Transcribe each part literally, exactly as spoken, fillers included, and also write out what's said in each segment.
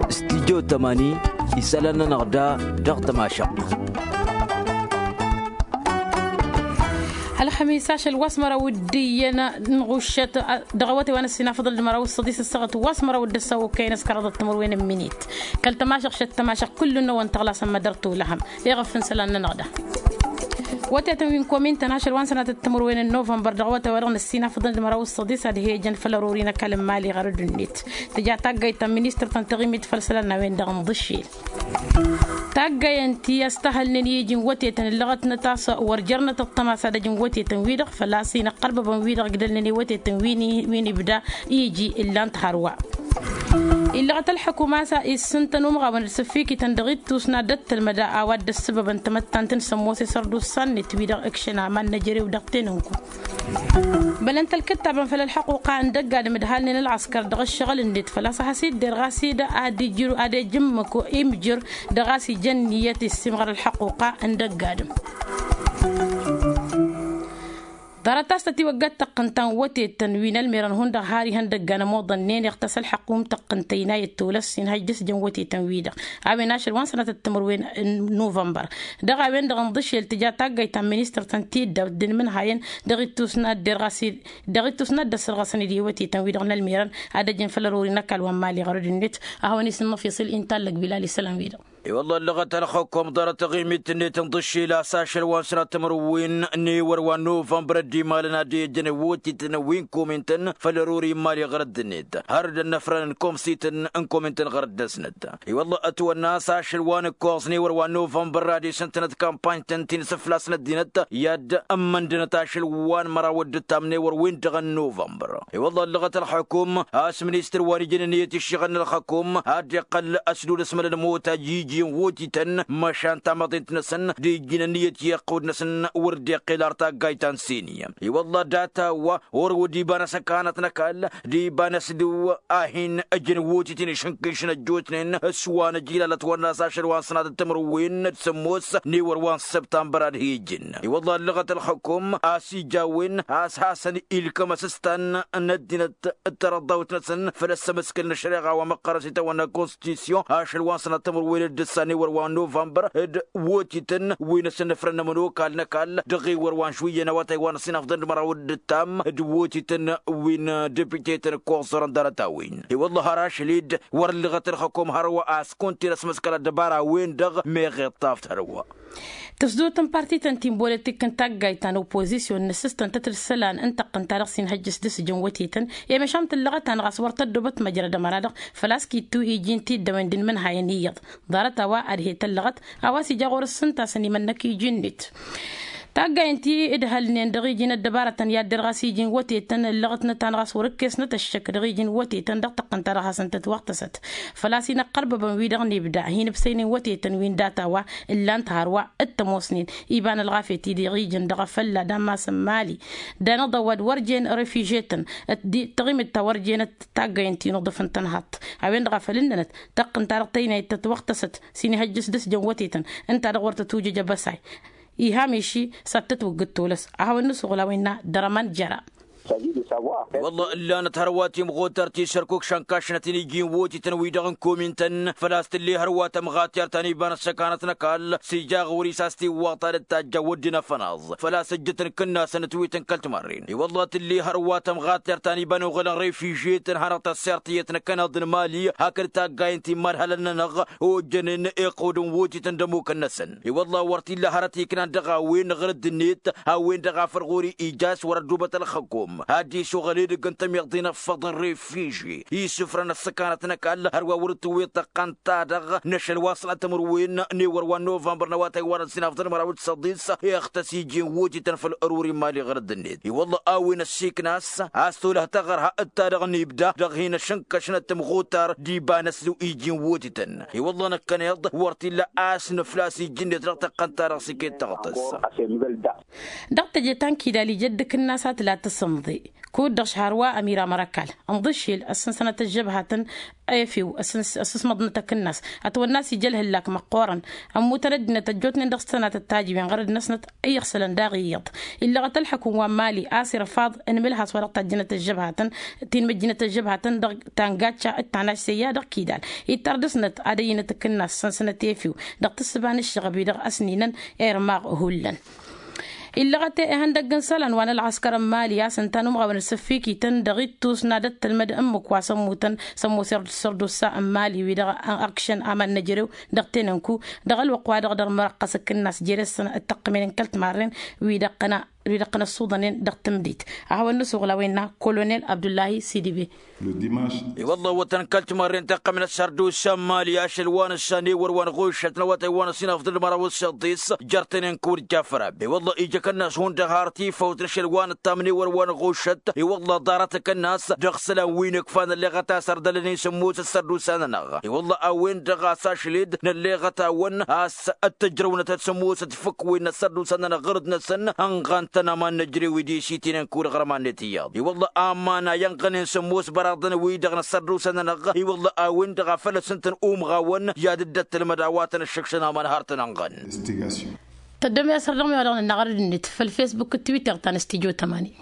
Studyo tămani isălan-nănăɣ da dăɣ-tămašăɣt. Ălxămis ašăl wa s-măraw d-iyyăn n-ɣuššăt dăɣ-awătay wa n-ăssinafăḍăn d-măraw s-săḍis ăssaɣăt wa s-măraw d-ăssaw okăyăn s-kăraḍăt timǝrwen n-minit. Kăl-tămašăɣ šăt tămašăɣ kullu-năwăn tăɣlasăn mădăr tulăhăm iɣăf n-isălan-nănăɣ da. Wătetăn wi n-komin-tăn ašăl wa n-sănatăt timǝrwen n-novămbăr dăɣ-awătay wa dăɣ-năssinafăḍăn d-măraw s-săḍis ad-he-ijăn făll-ărori n-ăkall n-imali ɣărăd-net. Tǝja taggayt ta n-ministăr ta n-taɣimit făll-isălan n-a-wen-dăɣ n-iḍǝššel. Taggayăn ti a-s tăhălnen i-iji n-wătetăn ǝllăɣătnăt a-s wăr jărnăt ăṭṭăma s-ad-ăj n-wătetăn-wi-dăɣ făl-a-s inăqqărbăbăn-wi-dăɣ ǝgdălnen i-wătetăn wi n-ibda iji ǝllan-t hărwa. Illăɣăt ălxukuma s-issǝntăn umɣawăn d-sǝffikităn dăɣ-ittus n-ad-dd-tǝlmăd a-wa dd-ăssǝbăbăn tamăttant n-sămmose sărdusa-net wi-dăɣ ǝkšăn aman n-ejărew dăɣ-tenǝnku. Bălăn-t ălkǝttabăn făll-ălxăquqa n-dăgg-adǝm ǝdhalnen ălɣăskăr dăɣ-ǝššăɣǝl-net făl-a-s ad-has-idder ɣas-dd ad-ijǝmmǝk imjǝr dăɣ-a-s ijăn niyyăt issimɣăr ălxăquqa n-dăgg-adǝm. Ḍarăt-as tătiwăggat tăqqǝnta n-wătetăn wi n-ălmerăn hundăɣ har ihăndăggan ămoḍănnen iɣtăs ălxăqqum tăqqǝnta inayăt tolăs inhăj dăr-s jăn wătetăn-wi-dăɣ. A-wen ašăl wa n-sănatăt timǝrwen n-novămbăr. Dăɣ-a-wen-dăɣ ǝnḍǝšel tǝja taggayt ta n-ministăr ta n-tiddawt d-inmǝnhayăn dăɣ-ittus n-ad-derɣas dăɣ-ittus n-ad-dd-ăssărɣăsăn-dd i-wătetăn-wi-dăɣ n-ălmerăn ad-ăjǝn făll-ărori n-ăkall wa n-mali ɣărăd-net. A hawăn-isǝnnăf iṣǝl inta ăllăg bilal isălan-wi-dăɣ. I-wălla ăllăɣăt ălxăkom ḍarăt taɣimit-net n-iḍǝššel a-s ašăl wa n-sănat timǝrwen n-ewăr wa n-novămbăr ăddimalăn ad-dd-ijjăn i-wătetăn wi n-komin-tăn făll-ărori n-mali ɣărăd-net har dd-ănnăfrăn n-komsităn n-komin-tăn ɣărăd-năsnăt. I-wălla ătwănna a-s ašăl wa n-ǝkkoẓ n-ewăr wa n-novămbăr ad-isǝntănăt kampany-tăn ti n-asǝflas n-ăddinăt i-ad-ămmăndănăt ašăl wa n-măraw d-ǝttam n-ewăr-win-dăɣ n-novămbăr. I-wălla ăllăɣăt ălxăkum a-s ministăr wa n-ijăn ǝnniyăt iššăɣǝl n-ălxăkum ad-dd-iqqăl ăsdul ăsmălăn ămoot a iji n-wotităn măšan tamăḍint-năsăn d-ijjin ǝnniyăt i-iqqud-năsăn wăr dd-iqqel ar taggayt ta n-sini. I-wălla data-wa orăwăd iba n-asăkanăt n-ăkall d-iba n-asdǝw a hin-ăjăn wotităn išǝnkǝšăn ăjjootnen s-wa n-ăjilalăt wănna a-s ašăl wa n-sănatăt timǝrwen d-sămmos n-ewăr wa n-săbtambăr ad-hi-ǝjǝn. I-wălla ăllăɣăt ălxăkum a-s ija a-wen a-s hasăn-ilkăm asǝstan n-ăddinăt d-tarăḍḍawt-năsăn făll-ăssămăskăl n-ăššăreɣa wa măqqărăn s-itawănna konstitisyon ašăl wa n-sănatămăr wen d-ǝssan ewăr wa n-novămbăr d-wotităn wi n-asǝnnăfrăn n-ămănokal n-ăkall dăɣ-ewăr wa n-šwǝyyăn awătay wa n-ăsinafḍăn d-măraw d-ǝttam d-wotităn wi n-depitetăn ǝkkoẓărăn ḍarăt-a-wen. I-wălla har ašăl-dd wăr ǝllăɣăt ălxăkom hărwa a-s kunta-en ăsmăskăl ăddăbara-wen-dăɣ meɣ iṭṭaf tărwa. Tǝsdot n-parti-tăn ti n-bolătik n-taggayt ta n-oppozisyon n-ǝssǝstăn tăt-dd isălan n-tăqqǝnta-dăɣ s-inhăjjăš d-asǝjăn wătetăn i-măšan tǝllăɣăt-anăɣ a-s wăr tăddobăt măjrăd ămăra-dăɣ făl-a-s kittu iji n-tiddăwen d-inmǝnhayăn iyyăḍ. Ḍarăt a-wa ad-he-tăllăɣăt a-wa s-ija ɣur-s s-ǝntasăn imănnăk iji-net. Taggayt n-ti-ǝdhălnen dăɣ-iji n-ăddăbarătăn i-ad-derɣas iji n-wătetăn ǝllăɣătnăt-anăɣ a-s wăr-ǝkkesnăt ăššăk dăɣ-iji n-wătetăn dăɣ-tăqqǝnta-dăɣ hasăn-tătwăɣtăsăt. Făl-a-s inăqqărbăbăn-wi-dăɣ n-ibda hin-ǝbsăynen wătetăn wi n-data-wa ǝllan-t hărwa d-tămoosnen iba n-ălɣafyăt-i-dăɣ ijăn dăɣ-afălla d-ammas n-mali. Dan ăḍăwad wăr jen refiže-tăn d-taɣimit ta wăr jenăt taggayăn ti n-uḍǝf n-tănhaḍt. A-wen-dăɣ a făl ǝnnănăt tăqqǝnta-dăɣ tăynayăt tătwăɣtăsăt s-inihăjjăš d-asǝjăn wătetăn ǝnta-dăɣ wăr tătwǝjǝj abăsay. Iham iši s-ad-tătwǝggǝd tolăs a hawăn-nǝsuɣǝl a-wen-na dăr-ăman jăra. Wălla ǝllanăt hărwa timɣutar ti s-ărkuk šănkašnăt-in iji n-wotităn-wi-dăɣ n-komin-tăn făl-a-s tǝlle hărwa tămɣatyar ta n-iba n-ăssăkanăt n-ăkall s-ija ɣur-i s-a-s tiwwaḍt ta dd-tajja wădden afănaẓ făl-a-s ǝjjătăn kǝnnasăn ǝtwităn kăl-timarren. I-wălla tǝlle hărwa tămɣatyar ta n-iba n-oɣălăn refiže-tăn hanăɣ-tăssert iyyăt n-ăkănaḍ n-mali hakd taggayăn ti n-imadhalăn-nănăɣ ojjănen iqqud n-wotităn d-ămmukăn-năsăn. I-wălla wăr t-illa hărăt iknan dăɣ-a-wen ɣǝrǝd-net a-wen-dăɣ a făl ɣur-i ija a-s wăr-ăddubăt ălxăkum ad-dd-isuɣăl edăgg n-tămiḍe n-ăffăḍ n-refiže isǝfrăn ăssăkanăt n-ăkall hărwa wăr-dd-tǝwweḍ tăqqăn-ta-dăɣ n-ašăl wa n-sănatămăr-wen n-ewăr wa n-novămbăr n-awătay wa n-ăsinafḍăn măraw d-săḍis. Iɣtăs iji n-wotităn făll-ăruri n-mali ɣǝrǝd-net i-wălla a-wen ăssiikna a-s a-s tolăh taɣărha d-ta-dăɣ n-ibda dăɣ-hin-ăššǝnkăšnăt tămɣutar d-iba n-ăsdǝw iji n-wotităn. I-wălla năkkăneḍ wăr t-illa a-s nǝflas iji-net dăɣ-tăqqăn-ta-dăɣ s-iket tăɣtǝs. Dăɣ-teje ta n-kidal ija dd-ǝkǝnna s-ad-tǝla tǝsǝmḍ kud-dăɣ šhar wa ămira mărakal ǝnḍǝššel ăssăn sănăt ăžžăbhatăn. Efew ăssăn s-măḍnăt ăkǝnnas ătwănna s-ija ălhǝllak măqqoorăn ămmutăn ăddinăt ăjjootnen dăɣ-s tănatăt tajǝwen ɣărăd-năsnăt. Iyyăɣ sălăn daɣ iyyăḍ illăɣăt ălḥăkum wa n-mali asir ăfaḍ n-imǝlhas wa dăɣ-tajjănăt ăžžăbhatăn ti n-măjjinăt ăžžăbhatăn dăɣ-tangacca d-tanaš seyya dăɣ-kidal. Ittar dăɣ-snăt ad-ăyyǝnăt ǝkǝnnas săn-snăt efew dăɣ-tǝssǝba n-ǝššăɣăb-i-dăɣ ăsninăn irmaɣ hullan. Illăɣăt ihăndăgg n-isălan wa n-ălɣăskăr n-mali a-s ǝnta n-umɣawăn asǝffikităn dăɣ-ittus n-ad-ăttălmăd ǝmmǝk wa s-ămmutăn s-ămmusăr d-sărdusa n-mali wi-dăɣ ăkšăn aman n-ejărew dăɣ-tenănku dăɣ-ălwăqq wa-dăɣ dăr-mărăqqăs ǝkǝnnas jere-săn d-tăqqǝmen n-kăl-timarren wi-dăɣ wi-dăɣ tăn-ăssuḍănen dăɣ-tǝmdit. A hawăn-nǝsuɣǝl a-wa innă kolonel abdullahi sidibe. I-wălla ăwwătăn kăl-timarren tăqqămen ăssărdusa n-mali ašăl wa n-ǝssan ewăr wa n-ɣušăt n-awătay wa n-ăsinafăḍ d-măraw s-săḍis. Jăr-tenen kăwăr-dd jafăra i-wălla ija kănnas hundăɣ har tifăwt n-ašăl wa n-ǝttam n-ewăr wa n-ɣušăt i-wălla ḍarăt kănnas dăɣ-isălan wi n-ǝkfa nălleɣăt a-s ărdălăn-in sǝmmos ăssărdusa-nănăɣ. I-wălla a-wen-dăɣ a-s ašăl-dd nălleɣăt-awăn a-s ăttăjrăwnăt ad-sǝmmos d-fǝkwen n-ăssărdusa-nănăɣ ɣărăd-năsăn ănɣan-tăn aman n-ejărew-i d-isitinen kăwăr ɣărman-net iyyăḍ i-wălla aman a ijănɣăn-in sǝmmos băraḍăn-wi-dăɣ n-ăssărdusa-nănăɣ. I-wălla a-wen-dăɣ a făl ăssǝntăn umɣawăn i-ad-dd-ăttălmăd a-wa tăn-ăššăkšăn aman har tăn-ănɣăn. Tăddom i-asăr dăɣ-mi wa dăɣ-nănna ɣărăd-net făll-facebook d-twitter ta n-studyo tămani.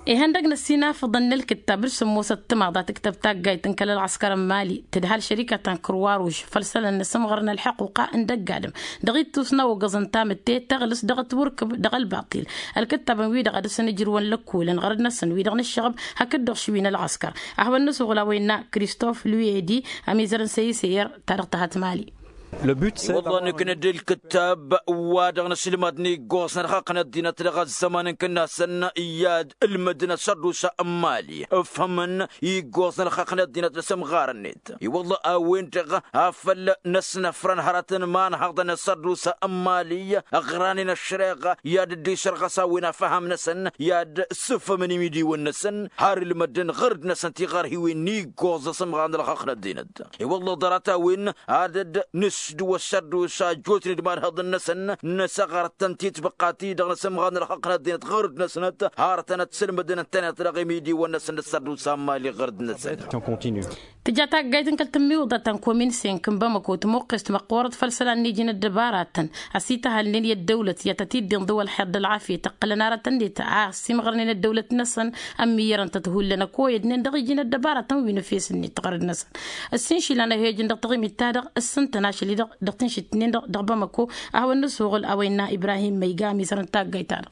Ihăndăg n-ăssinafăḍăn n-ălkǝttab d-sǝmmosăt timaḍa tǝktăb taggayt n-kăl-ălɣăskăr n-mali tǝdhal šărikăt ta n-kărwaruž făll-isălan n-asǝmɣăr n-ălḥăquqa n-dăgg-adǝm dăɣ-ittus n-awăggăẓ n-tamǝtte tăɣlǝs dăɣ-ătwărkǝb dăɣ-ălbaṭil. Ălkǝttabăn-wi-dăɣ ad-dăɣ-săn ǝjrǝwăn lăkkolăn ɣărăd-năsăn wi-dăɣ n-ǝššăɣăb hakd-dăɣ šwi n-ălɣăskăr. A hawăn-nǝsuɣǝl a-wa innă kristof luedi ămizăr n-săyiseyăr ta dăɣ-tăhăt mali. I-wălla nǝknăd ǝlkǝttab wa dăɣ-nǝsǝlmad n-iggoẓ n-ălxaqq n-ăddinăt dăɣ-ăzzăman n-kǝnnasăn i-ad-ǝlmǝdăn ăssărdusa n-mali ǝfhǝmăn iggoẓ n-ălxaqq n-ăddinăt n-asǝmɣar-net. I-wălla a-wen-dăɣ a făl năsnăfrăn hărătăn imanhăḍăn ăssărdusa n-mali ăɣranen ăššăreɣa i-ad-dd-isărɣăs a-wen afham-năsăn i-ad-sǝfhǝmăn imidiwăn-năsăn har ǝlmădăn ɣărd-năsăn tiɣarhiwen n-iggoẓ asǝmɣar n-ălxaqq n-ăddinăt. I-wălla ḍarăt-a-wen ad-dd-nǝsdǝw ăssărdusa ăjjootnen d-imanhăḍăn-năsăn năsăɣăr-tăn titbăqqa-ti-dăɣ n-asǝmɣar n-ălxaqq n-ăddinăt ɣărd-năsnăt har tăn-ătsǝlmǝdăn ǝntăneḍ dăɣ-imidiwăn-năsăn d-ăssărdusa n-mali ɣărd-năsăn. Tǝja taggayt n-kăl-tǝmmiwǝḍăt ta n-komin senk n-bamăko tǝmoqqes timăqqoorăt făll-isălan n-iji n-ăddăbaratăn ăsităhălnen i-ăddăwlăt i-ad-tăt-dd-inḍǝw ălxer d-ălɣafyăt ǝqqǝlăn arătăn-net a ăsimɣărnen ăddăwlăt-năsăn. Ămmiyyărăn-tăt hullan ăkoyădnen dăɣ-iji n-ăddăbaratăn wi n-efes-net ɣărăd-năsăn. Ǝssin išilan ăhhejăn dăɣ-taɣimit-ta-dăɣ ǝssǝntăn ašăl-i-dăɣ dăɣ-tǝnšit-nin-dăɣ dăɣ-bamăko. A hawăn-nǝsuɣǝl a-wa innă ibrahim măyga ămizăr n-taggayt-ta-dăɣ.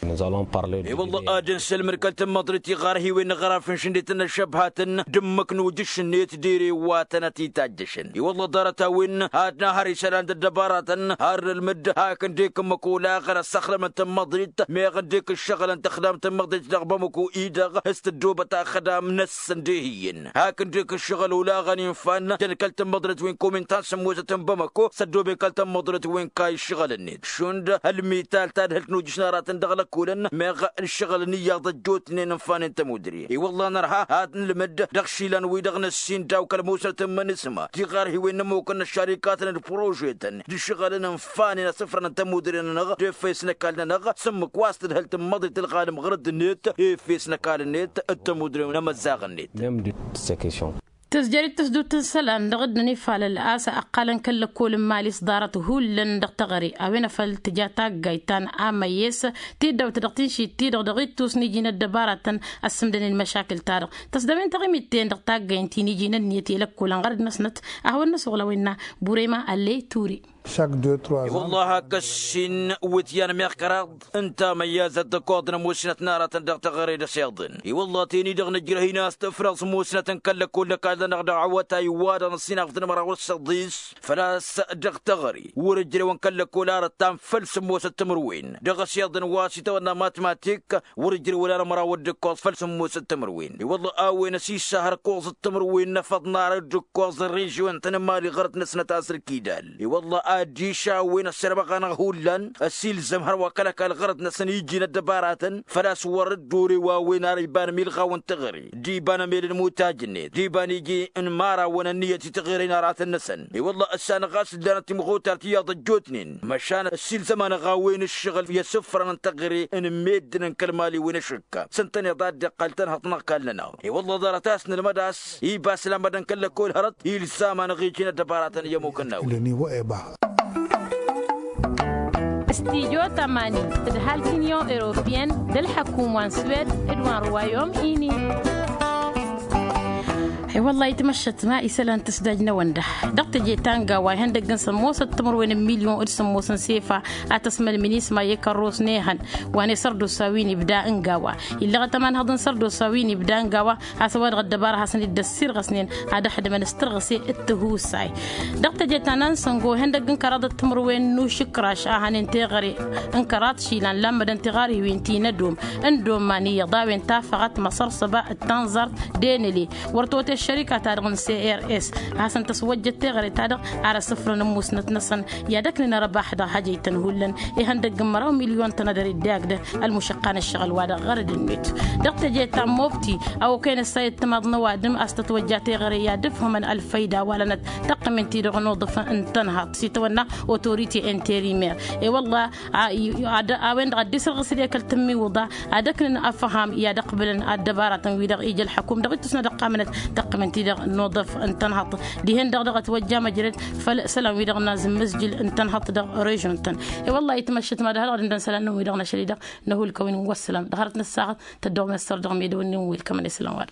I-wălla ad-ănsălmăd kăl-tămmăḍrit iɣarhiwen n-aɣraf n-šǝnnet n-ăššăbhatăn d-ǝmmǝk n-ujǝš-net d-ere wa tănăt-itajjăšăn i-wălla ḍarăt-a-wen ad-nahăr isălan d-ăddăbaratăn har nǝlmǝd hak ǝndek ǝmmǝk olaɣăn ăssăxdămăn tămmăḍrit meɣ ǝndek ǝššăɣǝlăn tăxdam tămmăḍrit dăɣ-bamăko-i-dăɣ s-tǝddobăt axdam-năsăn d-ehǝyyăn hak ǝndek ǝššăɣǝl olaɣăn infan jăn kăl-tămmăḍrit wi n-komin ta n-sǝmmosăt n-bamăko s-ăddooben kăl-tămmăḍrit wi n-kayy ǝššăɣǝl-net šund ălmital tadhǝlt n-ujǝš n-aratăn dăɣ-lăkkolăn meɣ ǝššăɣǝlăn iyyăḍ ăjjootnen ǝnfanen tămudre. I-wălla nărha ad-nǝlmǝd dăɣ-išilan-wi-dăɣ năssin daw-kăl-musnăt n-imǝnǝsma tiɣarhiwen n-ămmukăn n-ăššarikatăn d-prožetăn d-išɣălăn ǝnfanen asǝfrăn n-tămudre-nănăɣ d-efes n-ăkall-nănăɣ s-ǝmmǝk wa s-tǝdhǝl tămmăḍrit ǝlɣalăm ɣur-dd-net efes n-ăkall-net d-tămudre n-emăzzaɣ-net. Tǝzjăr-dd tǝsdut n-isălan dăɣ-dd-nǝnifalăl a-s ăqqalăn kăl-lăkkol n-mali s-ḍarăt hullan dăɣ-teɣăre a-wen a făl tǝja taggayt ta n-amăyes tiddawt dăɣ-tinšit-ti-dăɣ dăɣ-ittus n-iji n-ăddăbaratăn ăssǝmdănen măšakǝl-ta-dăɣ. Tăsdăwen taɣimit-ten dăɣ-taggayt ti n-iji n-ănniyăt i-lăkkolăn ɣărăd-năsnăt. A hawăn-nǝsuɣǝl a-wa innă burema ălley ture. I-wălla hakk ăssin wǝtyan meɣ kăraḍ ǝnta măyyazăt d-ăkkoḍăn ămoosnăt n-aratăn dăɣ-teɣăre d-ăsiḍăn i-wălla teni-dăɣ nǝjrăh-in a-s tǝfrăẓ musnăt n-kăl-lăkkol n-ăkall-nănăɣ dăɣ-awătay wa-dăɣ n-ăssinafăḍ n-măraw d-săḍis. Făl-a-s dăɣ-teɣăre wăr-ǝjrewăn kăl-lăkkol arăt ta n-făll-sǝmmosăt timǝrwen dăɣ-ăsiḍăn wa s-itawănna matmatik wăr-ǝjrewăn ar măraw d-ǝkkoẓ făll-sǝmmosăt timǝrwen i-wălla a-wen ăsisahăr ǝkkoẓăt timǝrwen n-afăḍnar d-ǝkkoẓ n-režyon-tăn n-mali ɣărăt-năsnăt a-s ălkidal. I-wălla ad-išawwen ăssirăbăɣ-anăɣ hullan ăssiilzăm hărwa kăl-ăkall ɣărăt-năsăn iji n-ăddăbaratăn făl-a-s wăr-dd-ore wa wen ar iba n-milɣaw n-teɣăre d-iba n-emel n-imutaj-net d-iba n-iji n-imărawăn ănniyăt i-teɣăre n-aratăn-năsăn. I-wălla ăssanăɣ a-s dd-lanăt timɣutar tiyyăḍ ăjjootnen măšan ăssiilzăm-anăɣ a-wen ǝššăɣǝl i-asǝfrăn n-teɣăre n-meddǝn n-kăl-mali wi n-ašǝkka s-ǝntăneḍ a dd-iqqăl tănhăḍt n-ăkall-nănăɣ. I-wălla ḍarăt a-s nǝlmăd a-s iba s-lamădăn kăl-lăkkol hărăt ilzam-anăɣ iji n-ăddăbaratăn i-ămmukăn n-a-wen. Studyo tămani d-ǝhal t-inyon europeyăn d-ălḥăkum wa n-swed d-wa n-ruwayom ini. I-wălla-hi tmăššăt ma isălan tǝsdaj n-ewănda dăɣ-teje ta n-gawa ihăndăgg n-sămmosăt timǝrwen n-milyon d-sămmos n-sefa a tăsmălmǝn isma i-kărros n-ehăn wa n-esărdosa wi n-ibda n-gawa. Illăɣăt ămanhăḍ n-sărdosa wi n-ibda n-gawa a-s ăwadăɣ ăddăbara hasăn-dd-ăssirɣăsnen ad-ăxdǝmăn s-tărɣǝse d-tihusay. Dăɣ-teje ta n-ansăngo ihăndăgg n-kăraḍăt timǝrwen n-ušǝkraš a hănen teɣăre n-kăraḍ išilan lammădăn tiɣarhiwen ti n-ădom n-doman iyyăḍ a-wen tafăɣăt măsărsăba d-tanẓart d-enăle wăr tote ăššărika-ta-dăɣ n-crs a hasăn-tăswăjjăt teɣăre-ta-dăɣ ar ăsǝfrăn ămmusnăt-năsăn. I-ad-ăknǝn ărăbax dăɣ-hajăy-tăn hullan ihăndăgg n-măraw milyon tănădăr idde agdăh ălmušăqqa n-ǝššăɣǝl-wa-dăɣ ɣărăd-net. Dăɣ-teje ta n-mobti a okăyăn ăssayăt timaḍ n-ăwadǝm a-s tătwăjja teɣăre i-ad-ǝfhǝmăn ălfăyda walănăt tăqqǝmen-ti-dăɣ n-uḍǝf n-tănhaḍt s-itawănna otorite interimer. I-wălla a-wen-dăɣ ad-dd-isărɣǝs d-ekăl tǝmmiwǝḍa ad-ăknǝn ăfham i-ad-ăqbǝlăn ăddăbaratăn-wi-dăɣ ija ălḥăkum dăɣ-ittus n-ad-ăqqamănăt tăqqǝmăn-ti-dăɣ n-uḍǝf n-tănhăḍt. Dihen-dăɣ dăɣ-ătwăjja măjrăd făll-isălan-wi-dăɣ n-azǝmmǝzjǝl n-tănhăḍt dăɣ-režion-tăn. I-wălla-hi tmăššăt ma d-hărăɣ d-ǝndăn isălan-nănăɣ wi-dăɣ n-ašăl-i-dăɣ năhulkăwăn n-wăssălam dăɣ-hărăt n-ăssaɣăt tăddăɣ-messăr dăɣ-medăwăn n-inwǝl kămăn isălan-wa-dăɣ.